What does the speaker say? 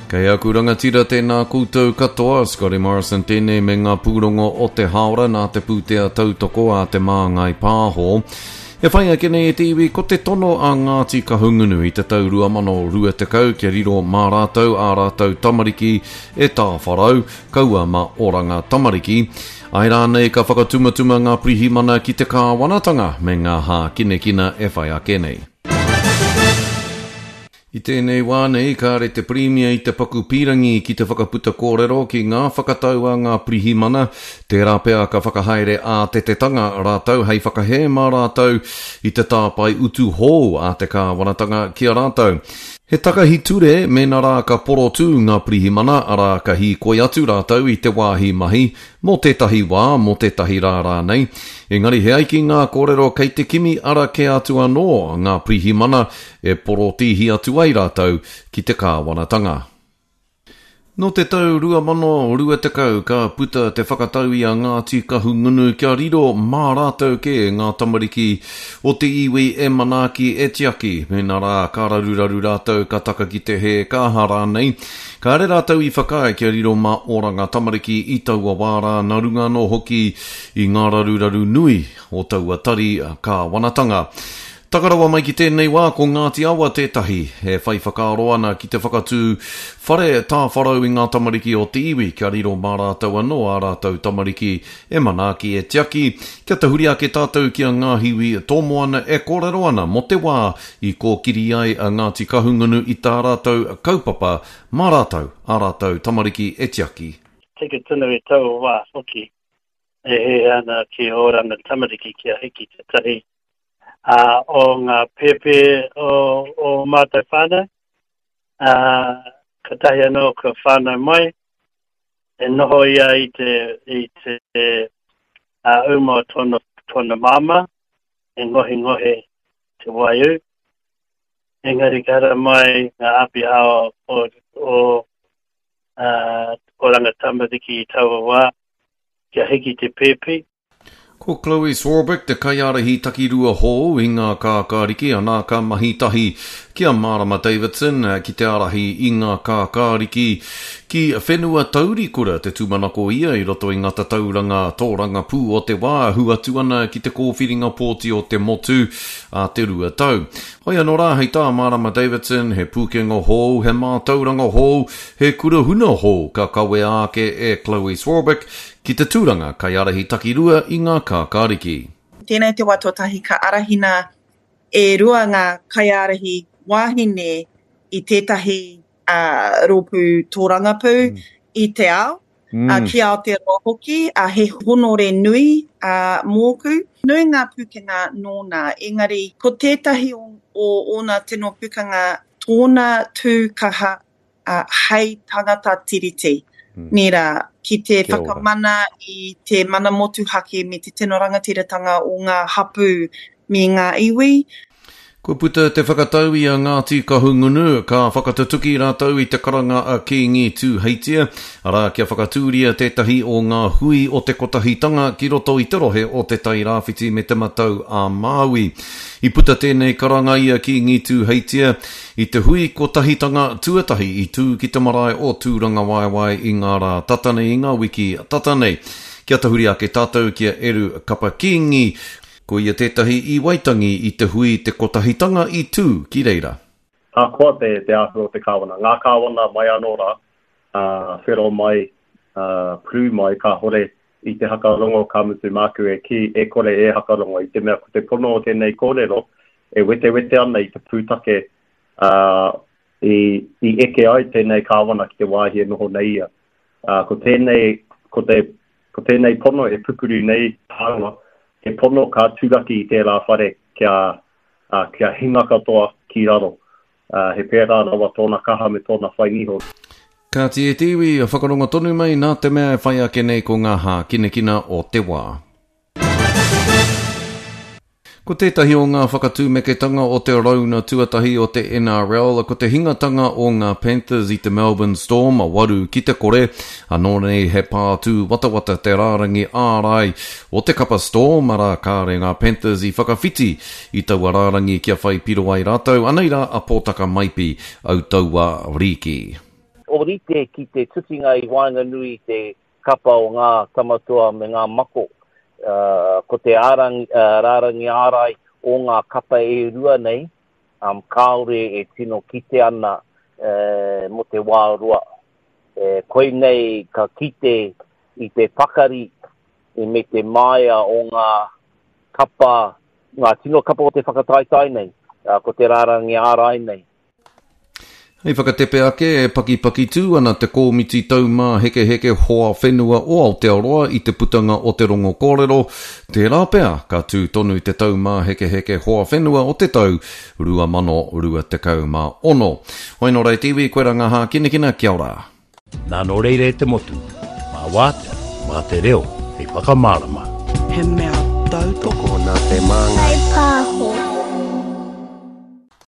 Kei aku rangatira tēnā koutou katoa, Scotty Morrison tēnei me ngā pūrongo o te hāora nā te pūtea tautoko a Te Māngai Pāho. E whai ake nei e te iwi ko te tono a Ngāti Kahungunu i te tau 2020 kia riro mā rātou ā rātou tamariki e tāwharau, kaua mā Oranga Tamariki. Āe rānei ka whakatumatuma ngā pirihimana ki te kāwanatanga me ngā hākinakina e whai ake nei. I tēnei wā nei, kāre te Pirimia i te paku pīrangi ki te whakaputa kōrero ki ngā whakatau a ngā pirihimana, tērā pea ka whakahaere ātetetanga rātou hei whakahē mā rātou i te tāpae utu hou a te kāwanatanga ki a rātou. He takahi ture mēnā rā ka porotū ngā pirihimana, arā, ka hīkoi atu rātou i te wāhi mahi, mō tētahi wā, mō tētahi rā rānei. Engari he ai ki ngā kōrero kei te kimi ara kē atu anō ngā pirihimana e porotīhi atu ai rātou ki te kāwanatanga. Nō te tau 2020 ka puta te whakatau i a Ngāti Kahungunu kia riro mā rātou kē ngā tamariki o te iwi e manaaki, e tiaki, mēnā rā ka raruraru rātou, ka taka ki te hē, ka aha rānei. Kāre rātou i whakaae kia riro mā Oranga Tamariki i taua wā rā nā runga anō hoki i ngā raruraru nui o taua tari kāwanatanga. Taka rawa mai ki tēnei wā ko Ngāti Awa tētahi e whai whakaaro ana ki te whakatū whare tāwharau i ngā tamariki o te iwi kia riro mā rātou anō ā rātou tamariki e manaaki e tiaki. Kia tahuri ake tātou ki a Ngāhiwi Tōmoana e kōrero ana mō te wā i kōkiri ai a Ngāti Kahungunu i tā rātou kaupapa mā rātou ā rātou tamariki e tiaki. Tika tonu i taua wā hoki e hiahia ana ki Oranga Tamariki kia hiki tētahi ā, o ngā pēpē o, o mātou whānau, ā, katahi anō ka whānau mai, e noho ia i te, i te ā, uma o tōna, tōna māmā, e ngohengohe te waiū. Engari ka hara mai ngā āpiha o, o, o ā, Oranga Tamariki i taua wā, kia hiki te pēpi. Ko Chloe Swarbrick te kaiārahi takirua hou i ngā kākāriki, anā ka mahi tahi ki a Marama Davidson ki te ārahi i ngā kākāriki ki whenua taurikura te tūmanako ia i roto i ngā tatauranga tōrangapū o te wā ahu atu ana ki te kōwhiringa pōti o te motu a te 2 tau. Hoi anō rā hei tā Marama Davidson he pūkenga hou, he mātauranga hou, he kura huna hou ka kawea ake e Chloe Swarbrick Ki te tūranga kaiārahi takirua i ngā kākāriki. Tēnei te wā tuatahi ka arahina e rua ngā kaiārahi wāhine i tētahi rōpū tōrangapū i te ao, ki Aotearoa hoki, he honore nui mōku. Nui ngā pūkenga nōna, engari ko tētahi o ōna tino pūkenga tōna tū kaha ā, hei tangata Tiriti, nē rā, ki te whakamana i te mana motuhake me te tino rangatiratanga o ngā hapū me ngā iwi. Kua puta te whakatau i a Ngāti Kahungunu, ka whakatutuki rātou i te karanga a Kīngi Tūheitia, arā, kia whakatūria tētahi o ngā hui o te Kotahitanga ki roto i te rohe o Te Tai Rāwhiti me Te Matau a Māui. I puta tēnei karanga i a Kīngi Tūheitia, I te hui kotahitanga tuatahi i tū ki te marae o Tūrangawaewae i ngā rā tata nei, i ngā wiki tata nei. Kia tahuri ake tātou ki a Eru Kapa Kingi, ko ia tētahi i Waitangi i te hui te kotahitanga i tū ki reira. Ahakoa te te āhua o te kāwana, ngā kāwana mai anō rā, ā, whero mai, ā, purū mai, kāhore i te hakarongo ka mutu māku e kī, e kore e hakarongo i te mea ko te pono o tēnei kōrero e wetewete ana i te pūtake ā, i, i eke ai tēnei kāwana ki te wāhi e noho nei ia. Ā, ko tēnei, ko te, ko tēnei pono e pupuru nei tāua, he pono ka turaki i tērā whare kia, ā, kia hinga katoa ki raro. Ā, he pērā rawa tōna kaha me tōna whai niho. Kāti e te iwi, whakarongo tonu mai nā te mea e whai ake nei ko ngā hākinakina o te wā. Ko tētahi o ngā whakatūmeketanga o te rauna tuatahi o te NRL ko te hingatanga o ngā Panthers i te Melbourne Storm, 8-0. Anō nei he pā tūwatawata te rārangi ārai o te kapa Storm, arā kāre ngā Panthers i whakawhiti i taua rārangi kia whai piro ai rātou. Anei rā a Pōtaka Maipi, Autaua Rīki. ōrite ki te tutinga i waenganui i te kapa o ngā Tamatoa me ngā Mako. Ko te rārangi ārai o ngā kapa e rua nei, kāore e tino kite ana mō te wā roa. Koinei ka kite i te pakari me te māia o ngā kapa, ngā tino kapa o te whakataetae nei, ko te rārangi ārai nei. Hei whakatepe ake, e pakipaki tū ana te Kōmiti Taumāhekeheke Hoa Whenua o Aotearoa i te putanga o te rongo kōrero, tērā pea ka tū tonu te Taumāhekeheke Hoa Whenua o te tau 2026. Hoi nō reira te iwi, koirā ngā hākinakina, kia ora. Nā nō reira e te motu, mā wātea, mā te reo hei whakamārama. He mea tautoko. Tokona te māngai. Kaipāho.